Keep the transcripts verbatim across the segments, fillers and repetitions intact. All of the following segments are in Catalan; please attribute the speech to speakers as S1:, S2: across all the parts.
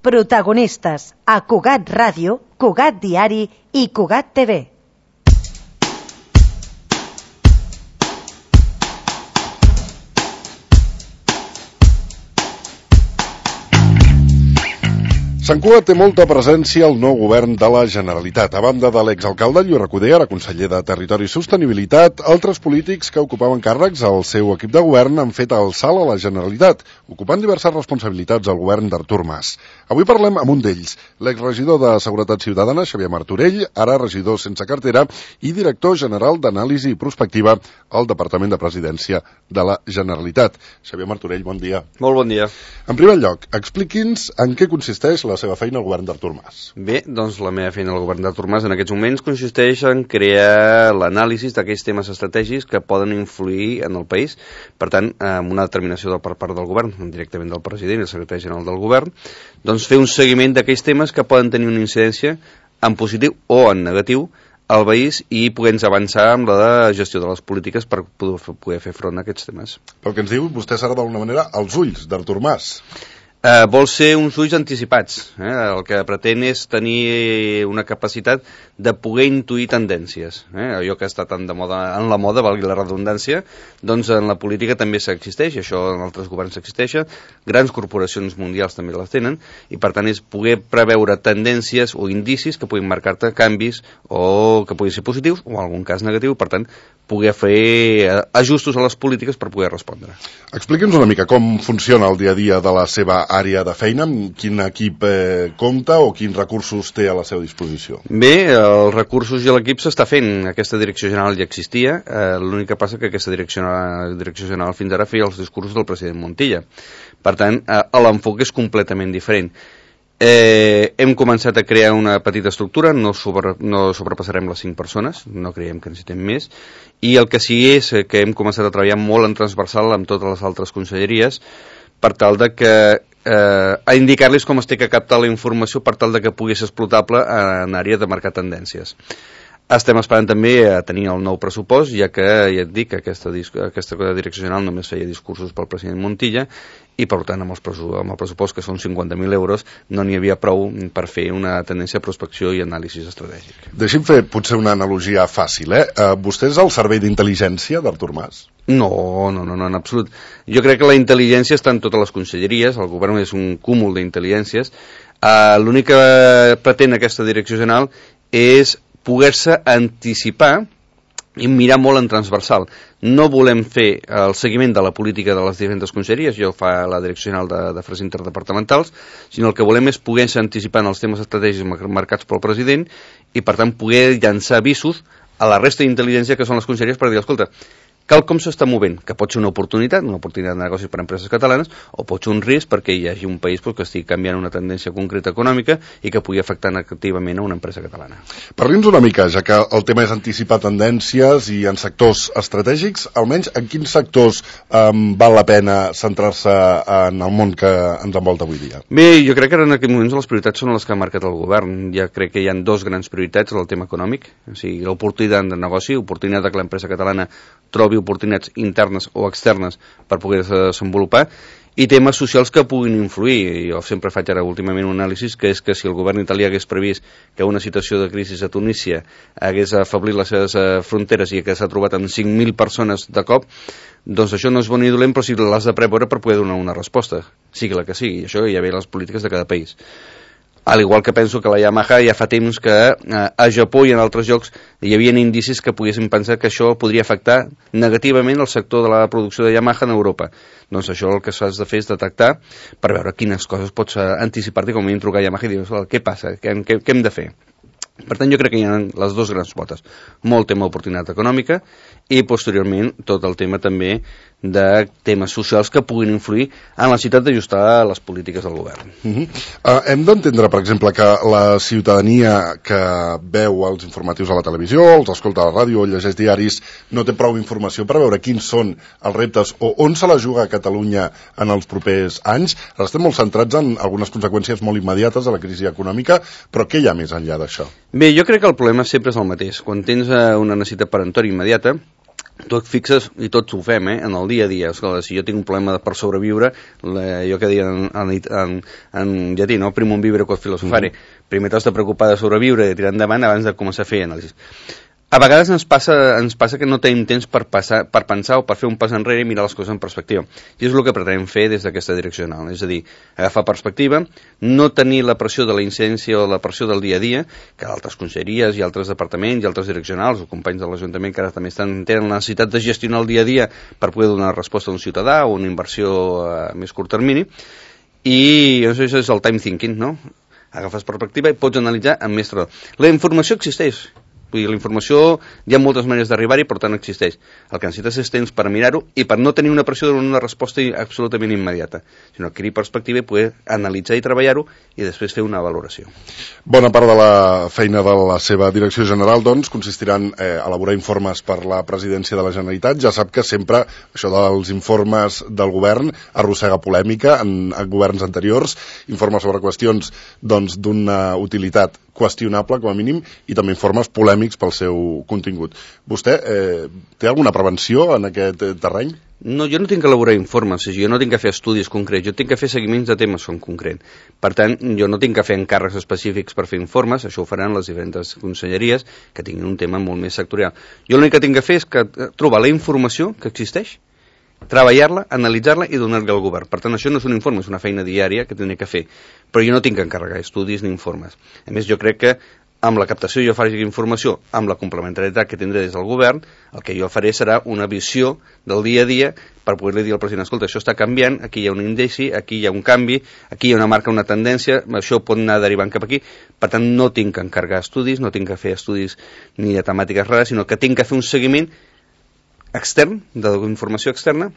S1: Protagonistes a Cugat Ràdio, Cugat Diari i Cugat T V.
S2: Sant Cugat té molta presència al nou govern de la Generalitat. A banda de l'exalcalde Lluís Recoder, ara conseller de Territori i Sostenibilitat, altres polítics que ocupaven càrrecs al seu equip de govern han fet el salt a la Generalitat, ocupant diverses responsabilitats al govern d'Artur Mas. Avui parlem amb un d'ells, l'exregidor de Seguretat Ciutadana, Xavier Martorell, ara regidor sense cartera i director general d'Anàlisi i Prospectiva al Departament de Presidència de la Generalitat. Xavier Martorell, bon dia.
S3: Molt bon dia.
S2: En primer lloc, expliqui'ns en què consisteix la seva feina al govern d'Artur Mas.
S3: Bé, doncs la meva feina al govern d'Artur Mas en aquests moments consisteix en crear l'anàlisi d'aquells temes estratègics que poden influir en el país. Per tant, amb una determinació per part del govern, directament del president i el secretari general del govern, doncs fer un seguiment d'aquells temes que poden tenir una incidència en positiu o en negatiu al país i poder-nos avançar amb la gestió de les polítiques per poder fer front a aquests temes.
S2: Pel que ens diu, vostè serà d'alguna manera als ulls d'Artur Mas.
S3: Uh, vol ser uns ulls anticipats. Eh? El que pretén és tenir una capacitat de poder intuir tendències. Eh? Allò que està tan de moda, en la moda, valgui la redundància, doncs en la política també s'existeix, això en altres governs s'existeix, grans corporacions mundials també les tenen, i per tant és poder preveure tendències o indicis que puguin marcar-te canvis o que puguin ser positius o en algun cas negatiu, per tant poder fer ajustos a les polítiques per poder respondre.
S2: Expliqui'ns una mica com funciona el dia a dia de la seva àrea de feina, amb quin equip eh, compta o quins recursos té a la seva disposició.
S3: Bé, els recursos i l'equip s'està fent. Aquesta direcció general ja existia, eh, l'únic que passa que aquesta direcció, direcció general fins ara feia els discursos del president Montilla. Per tant, eh, l'enfoc és completament diferent. Eh, hem començat a crear una petita estructura, no, sobre, no sobrepassarem les cinc persones, no creiem que necessitem més, i el que sí és que hem començat a treballar molt en transversal amb totes les altres conselleries per tal de que eh, a indicar-los com es té que captar la informació per tal de que pugui ser explotable en àrea de marcar tendències. Estem esperant també a tenir el nou pressupost, ja que ja et dic que aquesta, aquesta direcció general només feia discursos pel president Montilla i per tant amb, els pressupost, amb el pressupost que són cinquanta mil euros no n'hi havia prou per fer una tendència de prospecció i anàlisi estratègic.
S2: Deixi'm fer potser una analogia fàcil, eh? Uh, vostè és el servei d'intel·ligència d'Artur Mas?
S3: No, no, no, no, en absolut. Jo crec que la intel·ligència està en totes les conselleries, el govern és un cúmul d'intel·ligències. Uh, l'únic que pretén aquesta direcció general és poder-se anticipar i mirar molt en transversal. No volem fer el seguiment de la política de les diferents conselleries, jo fa la Direcció General d'Afers Interdepartamentals, sinó el que volem és poder-se anticipar en els temes estratègics marcats pel president i, per tant, poder llançar avisos a la resta d'intel·ligència que són les conselleries per dir, escolta, cal com s'està movent, que pot ser una oportunitat, una oportunitat de negocis per a empreses catalanes, o pot ser un risc perquè hi hagi un país que estigui canviant una tendència concreta econòmica i que pugui afectar negativament a una empresa catalana.
S2: Parli'ns una mica, ja que el tema és anticipar tendències i en sectors estratègics, almenys en quins sectors um, val la pena centrar-se en el món que ens envolta avui dia?
S3: Bé, jo crec que en aquests moments les prioritats són les que ha marcat el govern. Ja crec que hi ha dos grans prioritats, el tema econòmic, o sigui, l'oportunitat de negoci, l'oportunitat que l'empresa catalana trobi oportunitats internes o externes per poder-se desenvolupar, i temes socials que puguin influir. Jo sempre faig ara últimament un anàlisi que és que si el govern italià hagués previst que una situació de crisi a Tunísia hagués afeblit les seves fronteres i que s'ha trobat amb cinc mil persones de cop, doncs això no és bon ni dolent, però sí que l'has de preveure per poder donar una resposta, sigui la que sigui. Això ja ve les polítiques de cada país. Al igual que penso que la Yamaha ja fa temps que eh, a Japó i en altres llocs hi havia indicis que poguessin pensar que això podria afectar negativament el sector de la producció de Yamaha en Europa. Doncs això el que s'has de fer és detectar per veure quines coses pots anticipar-te, com a mínim trucar a Yamaha i dir, què passa, què, què, què hem de fer? Per tant, jo crec que hi ha les dues grans potes. Molt tema d'oportunitat econòmica i, posteriorment, tot el tema també de temes socials que puguin influir en la necessitat d'ajustar les polítiques del govern.
S2: Uh-huh. uh, hem d'entendre, per exemple, que la ciutadania que veu els informatius a la televisió, els escolta a la ràdio o llegeix diaris, no té prou informació per veure quins són els reptes o on se la juga a Catalunya en els propers anys. Ara estem molt centrats en algunes conseqüències molt immediates de la crisi econòmica, però què hi ha més enllà d'això?
S3: Bé, jo crec que el problema sempre és el mateix. Quan tens una necessitat peremptòria immediata, tu et fixes, i tots ho fem, eh, en el dia a dia. Escolta, si jo tinc un problema per sobreviure, la, jo que diuen en, en, en llatí, no? Primum vivere quod filosofare. Mm-hmm. Primer t'has de preocupar de sobreviure i de tirar endavant abans de començar a fer anàlisis. A vegades ens passa, ens passa que no tenim temps per, passar, per pensar o per fer un pas enrere i mirar les coses en perspectiva. I és el que pretenem fer des d'aquesta direcció general. És a dir, agafar perspectiva, no tenir la pressió de la incidència o la pressió del dia a dia, que altres conselleries i altres departaments i altres direccionals o companys de l'Ajuntament que ara també estan, tenen la necessitat de gestionar el dia a dia per poder donar resposta a un ciutadà o una inversió a més curt termini. I això és el time thinking, no? Agafes perspectiva i pots analitzar amb més raó. La informació existeix. Vull dir, la informació, hi ha moltes maneres d'arribar-hi, per tant existeix. El que necessites és temps per mirar-ho i per no tenir una pressió d'una resposta absolutament immediata, sinó adquirir perspectiva i poder analitzar i treballar-ho i després fer una valoració.
S2: Bona part de la feina de la seva direcció general, doncs, consistirà en eh, elaborar informes per la presidència de la Generalitat. Ja sap que sempre això dels informes del govern arrossega polèmica en, en governs anteriors, informes sobre qüestions doncs, d'una utilitat qüestionable, com a mínim, i també informes polèmics pel seu contingut. Vostè eh, té alguna prevenció en aquest eh, terreny?
S3: No, jo no tinc que elaborar informes, jo no tinc que fer estudis concrets, jo tinc que fer seguiments de temes en concret. Per tant, jo no tinc que fer encàrrecs específics per fer informes, això ho faran les diferents conselleries que tinguin un tema molt més sectorial. Jo l'únic que tinc que fer és que trobar la informació que existeix, treballar-la, analitzar-la i donar-la al govern. Per tant, això no és un informe, és una feina diària que tindré que fer. Però jo no tinc que encarregar estudis ni informes. A més, jo crec que amb la captació jo faré informació, amb la complementarietat que tindré des del govern, el que jo faré serà una visió del dia a dia per poder-li dir al president, escolta, això està canviant, aquí hi ha un indici, aquí hi ha un canvi, aquí hi ha una marca, una tendència, això pot anar derivant cap aquí. Per tant, no tinc que encarregar estudis, no tinc que fer estudis ni de temàtiques rares, sinó que tinc que fer un seguiment extern, d'informació externa,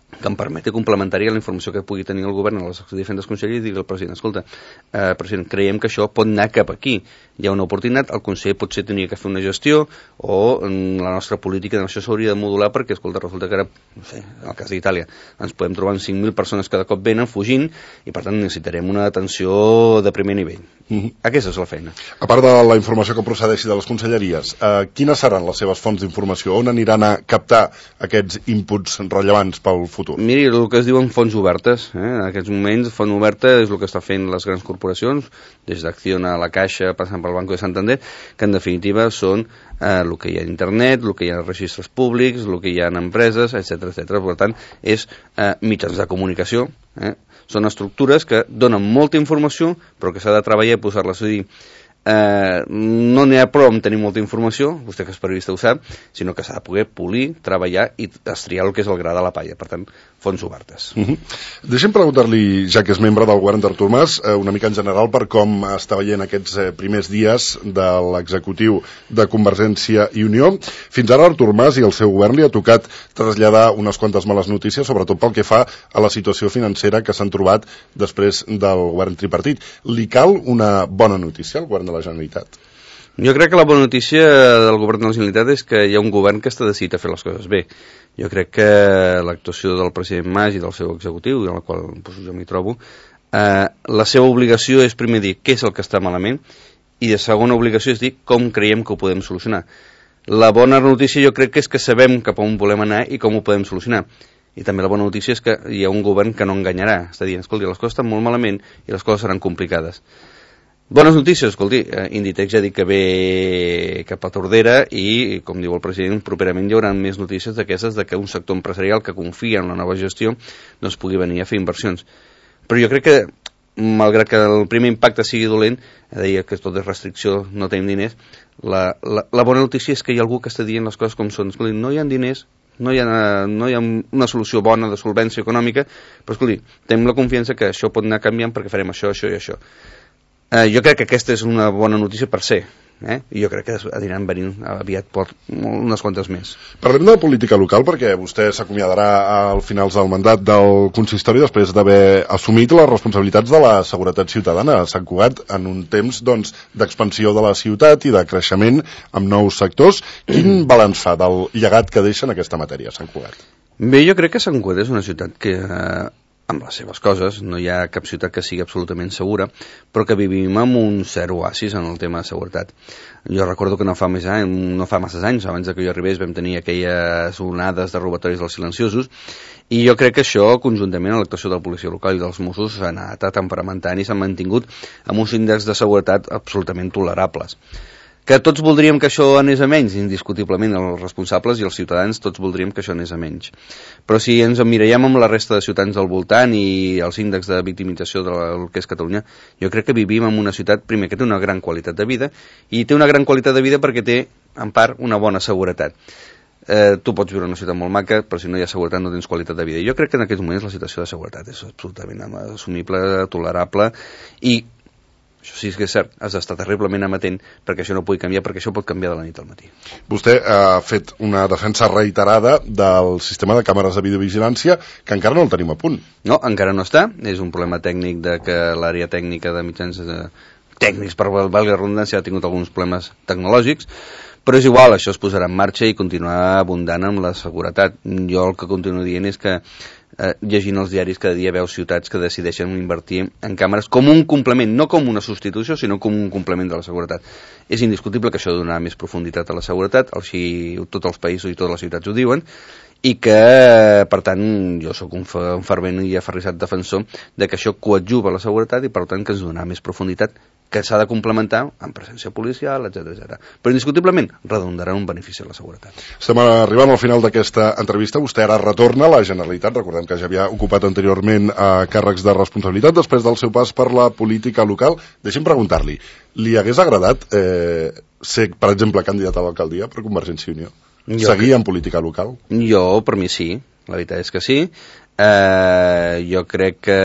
S3: que em permeti complementar a la informació que pugui tenir el govern a les diferents conselleries i dir al president, escolta, eh, president, creiem que això pot anar cap aquí, hi ha una oportunitat, el conseller potser tenia que fer una gestió o la nostra política d'això s'hauria de modular perquè, escolta, resulta que ara, no sé, en el cas d'Itàlia, ens podem trobar amb cinc mil persones cada cop venen fugint i per tant necessitarem una atenció de primer nivell. Mm-hmm. Aquesta és la feina.
S2: A part de la informació que procedeixi de les conselleries, eh, quines seran les seves fonts d'informació? On aniran a captar aquests inputs rellevants pel futur?
S3: Miri, el que es diuen fonts obertes, eh? En aquests moments font oberta és el que està fent les grans corporacions, des d'Acciona a la Caixa, passant pel Banco de Santander, que en definitiva són eh, el que hi ha a internet, el que hi ha a registres públics, el que hi ha en empreses, etcètera, etcètera. Per tant, és eh, mitjans de comunicació, eh? Són estructures que donen molta informació, però que s'ha de treballar i posar-les a dir. Eh, no n'hi ha prou amb tenir molta informació, vostè que és periodista ho sap, sinó que s'ha de poder polir, treballar i estriar el que és el gra de la palla. Per tant, fonts obertes.
S2: Uh-huh. Deixem preguntar-li, ja que és membre del govern d'Artur Mas, eh, una mica en general per com està veient aquests eh, primers dies de l'executiu de Convergència i Unió. Fins ara Artur Mas i el seu govern li ha tocat traslladar unes quantes males notícies, sobretot pel que fa a la situació financera que s'han trobat després del govern tripartit. Li cal una bona notícia al govern de la Generalitat?
S3: Jo crec que la bona notícia del govern de la Generalitat és que hi ha un govern que està decidit a fer les coses bé. Jo crec que l'actuació del president Mas i del seu executiu, en la qual doncs, jo m'hi trobo, eh, la seva obligació és primer dir què és el que està malament i de segona obligació és dir com creiem que ho podem solucionar. La bona notícia jo crec que és que sabem cap on volem anar i com ho podem solucionar. I també la bona notícia és que hi ha un govern que no enganyarà. Està dient, escolti, les coses estan molt malament i les coses seran complicades. Bones notícies, escolti, Inditex ja ha dit que ve cap a Tordera i, com diu el president, properament hi haurà més notícies d'aquestes de que un sector empresarial que confia en la nova gestió doncs pugui venir a fer inversions. Però jo crec que, malgrat que el primer impacte sigui dolent, deia que tot és restricció, no tenim diners, la, la, la bona notícia és que hi ha algú que està dient les coses com són. Escolti, no hi ha diners, no hi ha, no hi ha una solució bona de solvència econòmica, però escolti, tenim la confiança que això pot anar canviant perquè farem això, això i això. Eh, jo crec que aquesta és una bona notícia per ser, eh? I jo crec que aniran venint aviat per unes quantes més.
S2: Parlem de política local perquè vostè s'acomiadarà al finals del mandat del consistori després d'haver assumit les responsabilitats de la seguretat ciutadana a Sant Cugat en un temps doncs, d'expansió de la ciutat i de creixement amb nous sectors. Quin balanç fa del llegat que deixa en aquesta matèria Sant Cugat?
S3: Bé, jo crec que Sant Cugat és una ciutat que eh, amb les seves coses, no hi ha cap ciutat que sigui absolutament segura, però que vivim en un cert oasis en el tema de seguretat. Jo recordo que no fa, més anys, no fa masses anys, abans que jo arribés, vam tenir aquelles onades de robatoris dels silenciosos, i jo crec que això, conjuntament amb l'actuació de la policia local i dels Mossos, s'ha anat temperamentant i s'han mantingut amb uns índexs de seguretat absolutament tolerables. Que tots voldríem que això anés a menys, indiscutiblement, els responsables i els ciutadans tots voldríem que això anés a menys. Però si ens emmirallem amb la resta de ciutats del voltant i els índexs de victimització del que és Catalunya, jo crec que vivim en una ciutat, primer, que té una gran qualitat de vida, i té una gran qualitat de vida perquè té, en part, una bona seguretat. Eh, tu pots viure en una ciutat molt maca, però si no hi ha seguretat no tens qualitat de vida. Jo crec que en aquests moments la situació de seguretat és absolutament assumible, tolerable, i això sí que és cert, has d'estar terriblement amatent perquè això no pugui canviar, perquè això pot canviar de la nit al matí.
S2: Vostè ha fet una defensa reiterada del sistema de càmeres de videovigilància que encara no el tenim a punt.
S3: No, encara no està, és un problema tècnic de que l'àrea tècnica de mitjans eh, tècnics, per valgui la redundància, ha tingut alguns problemes tecnològics, però és igual, això es posarà en marxa i continuarà abundant amb la seguretat. Jo el que continuo dient és que eh, llegint els diaris cada dia veus ciutats que decideixen invertir en càmeres com un complement, no com una substitució, sinó com un complement de la seguretat. És indiscutible que això donarà més profunditat a la seguretat, així tots els països i totes les ciutats ho diuen, i que, per tant, jo sóc un, un fervent i aferrissat defensor de que això coadjuva la seguretat i, per tant, que ens donarà més profunditat, que s'ha de complementar amb presència policial, etcètera, etcètera. Però, indiscutiblement, redundarà un benefici a la seguretat.
S2: Estem arribant al final d'aquesta entrevista. Vostè ara retorna a la Generalitat. Recordem que ja havia ocupat anteriorment eh, càrrecs de responsabilitat després del seu pas per la política local. Deixi'm preguntar-li, li hagués agradat eh, ser, per exemple, candidat a l'alcaldia per Convergència i Unió? Jo Seguir que... en política local?
S3: Jo, per mi, sí. La veritat és que sí. Eh, jo crec que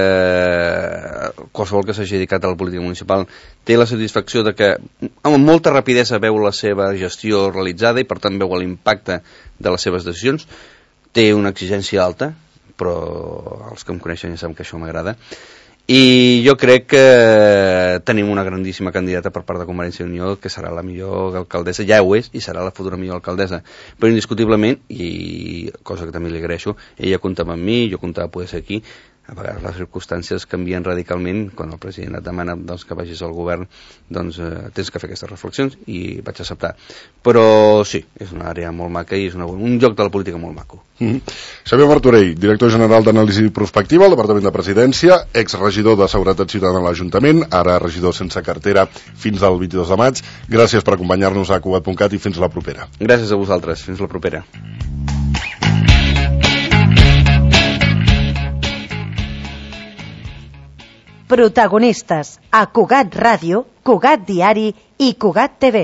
S3: qualsevol que s'hagi dedicat a la política municipal té la satisfacció de que amb molta rapidesa veu la seva gestió realitzada i per tant veu l'impacte de les seves decisions. Té una exigència alta, però els que em coneixen ja saben que això m'agrada, i jo crec que tenim una grandíssima candidata per part de Convergència i Unió que serà la millor alcaldessa, ja ho és, i serà la futura millor alcaldessa, però indiscutiblement, i cosa que també li agraeixo, ella comptava amb mi, jo comptava a poder ser aquí. A vegades les circumstàncies canvien radicalment. Quan el president et demana doncs, que vagis al govern, doncs eh, tens que fer aquestes reflexions, i vaig acceptar. Però sí, és una àrea molt maca i és una, un lloc de la política molt maco.
S2: Mm-hmm. Xavier Martorell, director general d'Anàlisi Prospectiva al Departament de Presidència, exregidor de Seguretat Ciutadana a l'Ajuntament, ara regidor sense cartera fins al vint-i-dos de maig. Gràcies per acompanyar-nos a Cugat punt cat i fins la propera.
S3: Gràcies a vosaltres, fins la propera.
S1: Protagonistes a Cugat Ràdio, Cugat Diari i Cugat T V.